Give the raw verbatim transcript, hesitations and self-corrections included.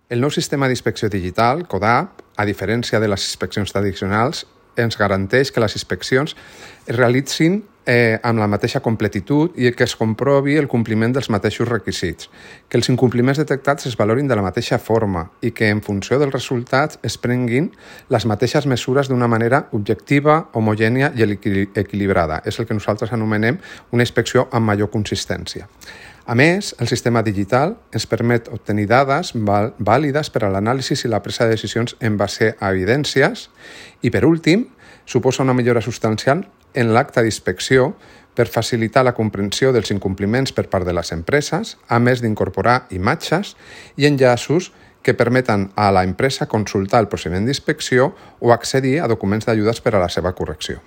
El nou sistema d'inspecció digital, CODAP, a diferència de les inspeccions tradicionals, ens garanteix que les inspeccions es realitzin eh, amb la mateixa completitud i que es comprovi el compliment dels mateixos requisits, que els incompliments detectats es valorin de la mateixa forma i que en funció dels resultats es prenguin les mateixes mesures d'una manera objectiva, homogènia i equilibrada. És el que nosaltres anomenem una inspecció amb major consistència. A més, el sistema digital ens permet obtenir dades vàlides per a l'anàlisi i la presa de decisions en base a evidències i, per últim, suposa una millora substancial en l'acte d'inspecció per facilitar la comprensió dels incompliments per part de les empreses, a més d'incorporar imatges i enllaços que permeten a l'empresa consultar el procediment d'inspecció o accedir a documents d'ajudes per a la seva correcció.